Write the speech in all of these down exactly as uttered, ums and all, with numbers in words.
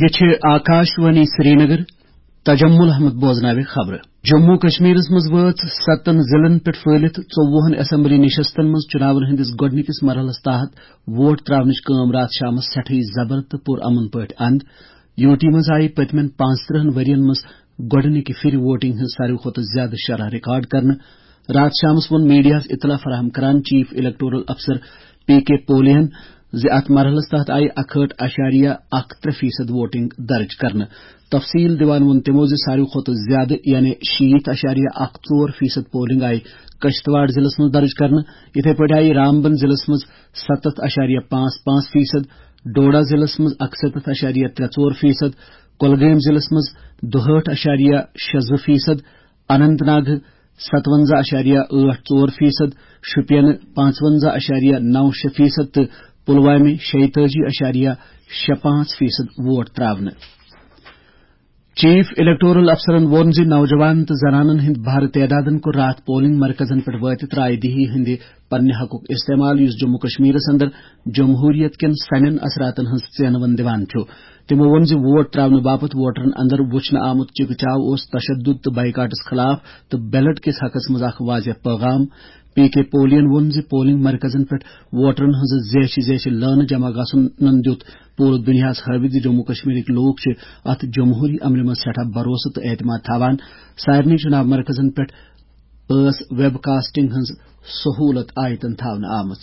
یہ چھِ آکاش وانی سرینگر۔ تجمل احمد بوزناوِ خبرٕ۔ جموں کشمیرس منٛز وٲژ ستن ضلعن پٮ۪ٹھ پھٔہلِتھ ژوٚوُہن اسمبلی نشستن منٛز چُناون ہٕنٛدِس گۄڈٕنِکِس مرحلس تحت ووٹ تراونٕچ کٲم راتھ شامس سٮ۪ٹھٕے زبر تہٕ پُرامن پٲٹھۍ اند۔ یوٗ ٹی منٛز آیہِ پٔتمٮ۪ن پانٛژترٕٛہن ؤرین منٛز گۄڈٕنِکہِ پھِرِ ووٹنگ ہٕنٛز ساروی کھۄتہٕ زیادٕ شرح ریکارڈ کرنہٕ۔ راتھ شامس ووٚن میڈیاہس اطلاع فراہم کران چیف الیکٹورل افسر پی کے پولین زِ اتھ مرحلس تحت آیہِ اکہٲٹھ اشاریہ اکھ ترٛےٚ فیصد ووٹنگ درج کرنہٕ۔ تفصیل دِوان ووٚن تِمو زِ ساروی کھۄتہٕ زیادٕ، یعنی شیٖتھ اشاریہ اکھ ژور فیصد پولنگ آیہِ کشتواڑ ضلعس منٛز درج کرنہٕ۔ یِتھے پٲٹھۍ آیہِ رامبن ضلعس منٛز ستتھ اشاریہ پانٛژھ پانٛژھ فیصد، ڈوڈا ضلعس منٛز اکستتھ اشاریہ ترٛےٚ ژور فیصد، کۄلگٲمۍ ضلعس منٛز دُہٲٹھ اشاریہ شےٚ زٕ فیصد، اننت ناگ ستونزہ اشاریہ ٲٹھ ژور فیصد، شُپینہٕ پانٛژونزہ اشاریہ نو شےٚ فیصد تہٕ پلوامہِ شیٚیہِ تٲجی اشاریہ شےٚ پانٛژھ فیصد ووٹ تراونہٕ۔ چیف الیکٹورل افسرن ووٚن زِ نوجوان تہٕ زنانن ہٕنٛدۍ بھرٕ تعدادن کوٚر راتھ پولنگ مرکزن پٮ۪ٹھ وٲتِتھ رائے دہی ہٕنٛدِ پننہِ حقُک استعمال، یُس جموں کشمیرس اندر جمہوریت کٮ۪ن سنٮ۪ن اثراتن ہٕنٛز ژینوٕن دِوان چھُ۔ تِمو ووٚن زِ ووٹ تراونہٕ باپتھ ووٹرن اندر وُچھنہٕ آمُت چِکہٕ چاو اوس تشدد تہٕ بائیکاٹس خلاف تہٕ بیلٹ کِس حقس منٛز اکھ واضح پیغام۔ پی کے پولین ووٚن زِ پولنگ مرکزن پٮ۪ٹھ ووٹرن ہٕنٛزٕ زیچھِ زیچھِ لٲنہٕ جمع گژھنن دیُت پوٗرٕ دُنیاہس ہٲوِتھ زِ جموں کشمیرٕکۍ لوٗکھ چھِ اتھ جمہوری عملہِ منٛز سٮ۪ٹھاہ بھروسہٕ تہٕ اعتماد تھاوان۔ سارنٕے چُناو مرکزن پٮ۪ٹھ ٲس ویب کاسٹنگ ہٕنٛز سہولت آیتن تھاونہٕ آمٕژ۔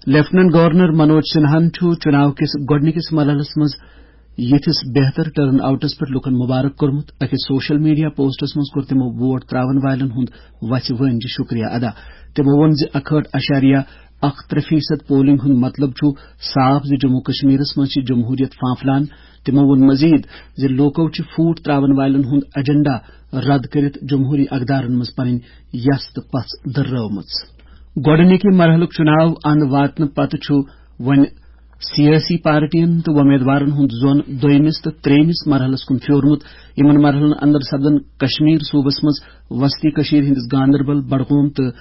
لیفٹیننٹ گورنر منوج سنہاہن چھُ چُناو کِس گۄڈٕنِکِس مرحلس منٛز یِتھِس بہتر ٹرن آؤٹس پٮ۪ٹھ لوٗکن مبارک کوٚرمُت۔ أکِس سوشل میڈیا پوسٹس منٛز کوٚر تِمو ووٹ تراون والٮ۪ن ہُنٛد وژھِ وٲنجہِ شُکریہ ادا۔ تِمو ووٚن زِ اکہٲٹھ اشاریہ اکھ ترٛےٚ فیصد پولنگ ہُنٛد مطلب چھُ صاف زِ جموں کشمیرس منٛز چھِ جمہوریت پھانپھلان۔ تِمو ووٚن مزید زِ لوٗکو چھِ فوٹ تراون والٮ۪ن ہُنٛد ایجنڈا رد کٔرِتھ جمہوری اقدارن منٛز پنٕنۍ یژھ تہٕ پژھ دٔررٲومٕژ۔ گۄڈٕنِکہِ مرحلُک چُناو اند واتنہٕ پتہٕ چھُ وۄنۍ سیٲسی پارٹین تہٕ وۄمیدوارن ہُنٛد زون دوٚیمِس تہٕ ترٛیٚیمِس مرحلس کُن پھیورمُت۔ یِمن مرحلن اندر سپدن کشمیر صوبس منٛز وسطی کشمیر ہٕنٛدِس گاندربل، بڈگوم تہٕ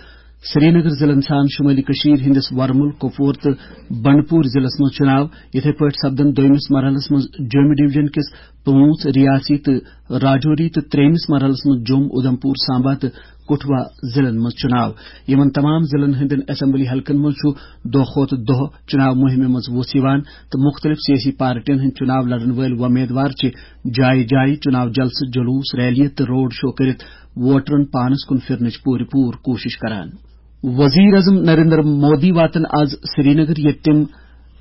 سرینگر ضلعن سان شمٲلی کشمیر ہٕنٛدِس ورمُل، کۄپوور تہٕ بنڈپور ضلعس منٛز چُناو۔ یِتھے پٲٹھۍ سپدن دوٚیمِس مرحلس منٛز جوٚمہِ ڈویژن کِس پانٛژھ ریاسی تہٕ راجوری تہٕ ترٛیٚیمِس مرحلس منٛز جوٚم، اُدھمپور، سامبا تہٕ کٹھوا ضلعن منٛز چُناو۔ یِمن تمام ضلعن ہٕنٛدٮ۪ن اسمبلی حلقن منٛز چھُ دۄہ کھۄتہٕ دۄہ چُناو مُہِمہِ منٛز وُژھ یِوان تہٕ مُختٔلِف سیٲسی پارٹین ہٕنٛدۍ چُناو لڑن وٲلۍ وۄمیدوار چھِ جایہِ جایہِ چُناو جلسہٕ، جلوس، ریلیہِ تہٕ روڈ شو کٔرِتھ ووٹرن پانس کُن پھِرنٕچ پوٗرٕ پوٗرٕ کوٗشش کران۔ وزیر اعظم نریندر مودی واتن آز سرینگر، ییٚتہِ تِم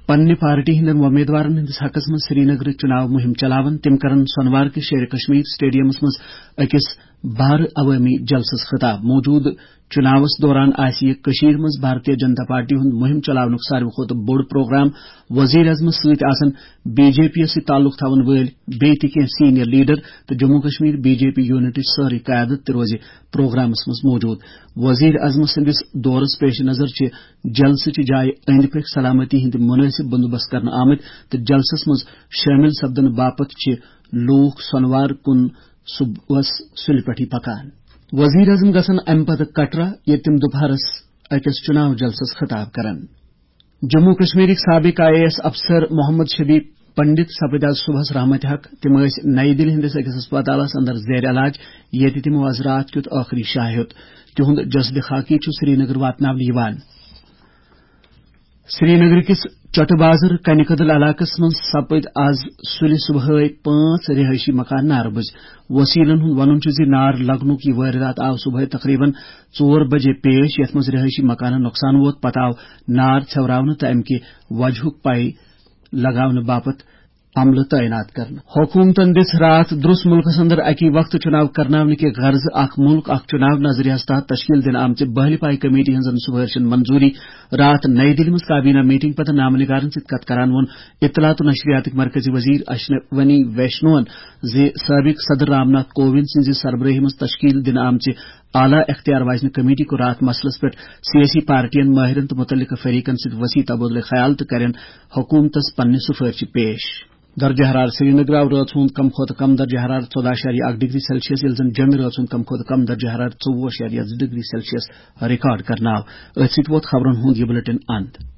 پننہِ پارٹی ہٕنٛدٮ۪ن وۄمیدوارن ہٕنٛدِس حقس منٛز سرینگرٕچ چُناو مُہِم چلاون۔ تِم کرن سۄنوار کِس شیرِ کشمیر سٹیڈیمس منٛز أکِس بھارٕ عوٲمی جلسس خطاب۔ موجودٕ چُناوس دوران آسہِ یہِ کٔشیٖرِ منٛز بھارتیہ جنتا پارٹی ہُنٛد مُہِم چلاونُک ساروی کھۄتہٕ بوٚڑ پروگرام۔ وزیر اعظمس سۭتۍ آسن بی جے پی یس سۭتۍ تعلق تھاون وٲلۍ بیٚیہِ تہِ کینٛہہ سینئر لیڈر تہٕ Jammu Kashmir B J P یونٹٕچ سٲرٕے قیادت تہِ روزِ پروگرامس منٛز موجود۔ وزیر اعظم سٕنٛدِس دورس پیش نظر چھِ جلسہٕ چہِ جایہِ أنٛدۍ پٔکۍ سلامتی ہٕنٛدۍ مُنٲسِب بندوبست کرنہٕ آمٕتۍ تہٕ جلسس منٛز شٲمِل سپدنہٕ باپتھ چھِ لوٗکھ سۄنوار کُن صبحس سُلہِ پٮ۪ٹھٕے پکان۔ وزیر اعظم گژھن امہِ پتہٕ کٹرا، ییٚتہِ تِم دُپہرس أکِس چُناو جلسس خطاب کرن۔ جموں کشمیرٕکۍ سابق آئی اے ایس افسر محمد شبی پنڈت سپٕدۍ آز صبحس رحمت حق۔ تِم ٲسۍ نئی دِلہِ ہٕنٛدِس أکِس ہسپتالس اندر زیر علاج، ییٚتہِ تِمو آز راتھ کیُتھ ٲخری شاہ ہیوٚت۔ تِہُنٛد جسدِ خاکی چھُ سرینگر واتناونہٕ یِوان۔ سرینگر کِس چٹہٕ بازر کنہِ کدل علاقس منٛز سپٕدۍ آز سُلہِ صبحٲے پانٛژھ رہٲیشی مکان نارٕ بٕجۍ۔ وسیلن ہُنٛد وَنُن چھُ زِ نار لگنُک یہِ وٲرِدات آو صبحٲے تقریباً ژور بجے پیش، یَتھ منٛز رہٲیشی مکانن نۄقصان ووت۔ پتہٕ آو نار ژھٮ۪وراونہٕ تہٕ اَمہِ کہِ وجہُک پَے لگاونہٕ باپتھ عملہٕ تعینات کرنہٕ۔ حکوٗمتن دِژ راتھ درٛس مُلکس اندر اَکی وقتہٕ چُناو کرناونہٕ کہِ غرضہٕ اکھ مُلک اکھ چُناو نظریہس تحت تشکیل دِنہٕ آمژِ بہلہِ پایہِ کمیٹی ہٕنٛزن سُفٲرشن منظوٗری۔ راتھ نئی دِلہِ منٛز کابینہ میٹنگ پتہٕ نامہٕ نِگارن سۭتۍ کتھ کران ووٚن اطلاعات و نشریاتٕکۍ مرکزی وزیر اشونی ویشنون زِ سابق صدر رام ناتھ کووند سٕنٛزِ سربرٲہی منٛز تشکیل دِنہٕ آمژِ اعلیٰ اختیار واجنہِ کمیٹی کوٚر راتھ مسلس پٮ۪ٹھ سیٲسی پارٹین، ماہرن تہٕ مُتعلقہٕ فریقن سۭتۍ وسیع تبادلہ خیال تہٕ کرن حکومتس پننہِ سُفٲرشہِ پیش۔ درجہ حرارت: سرینگر آو رٲژ ہُنٛد کم کھۄتہٕ کم درجہ حرارت ژۄداہ اشاریہ اکھ ڈگری سیلسیس، ییٚلہِ زن جوٚمہِ رٲژ ہُنٛد کم کھۄتہٕ کم درجہ حرارت ژوٚوُہ اشاریہ زٕ ڈگری سیلسیس ریکارڈ کرنہٕ آو۔ أتھۍ سۭتۍ ووت خبرن ہُنٛد یہِ بلیٹن اند۔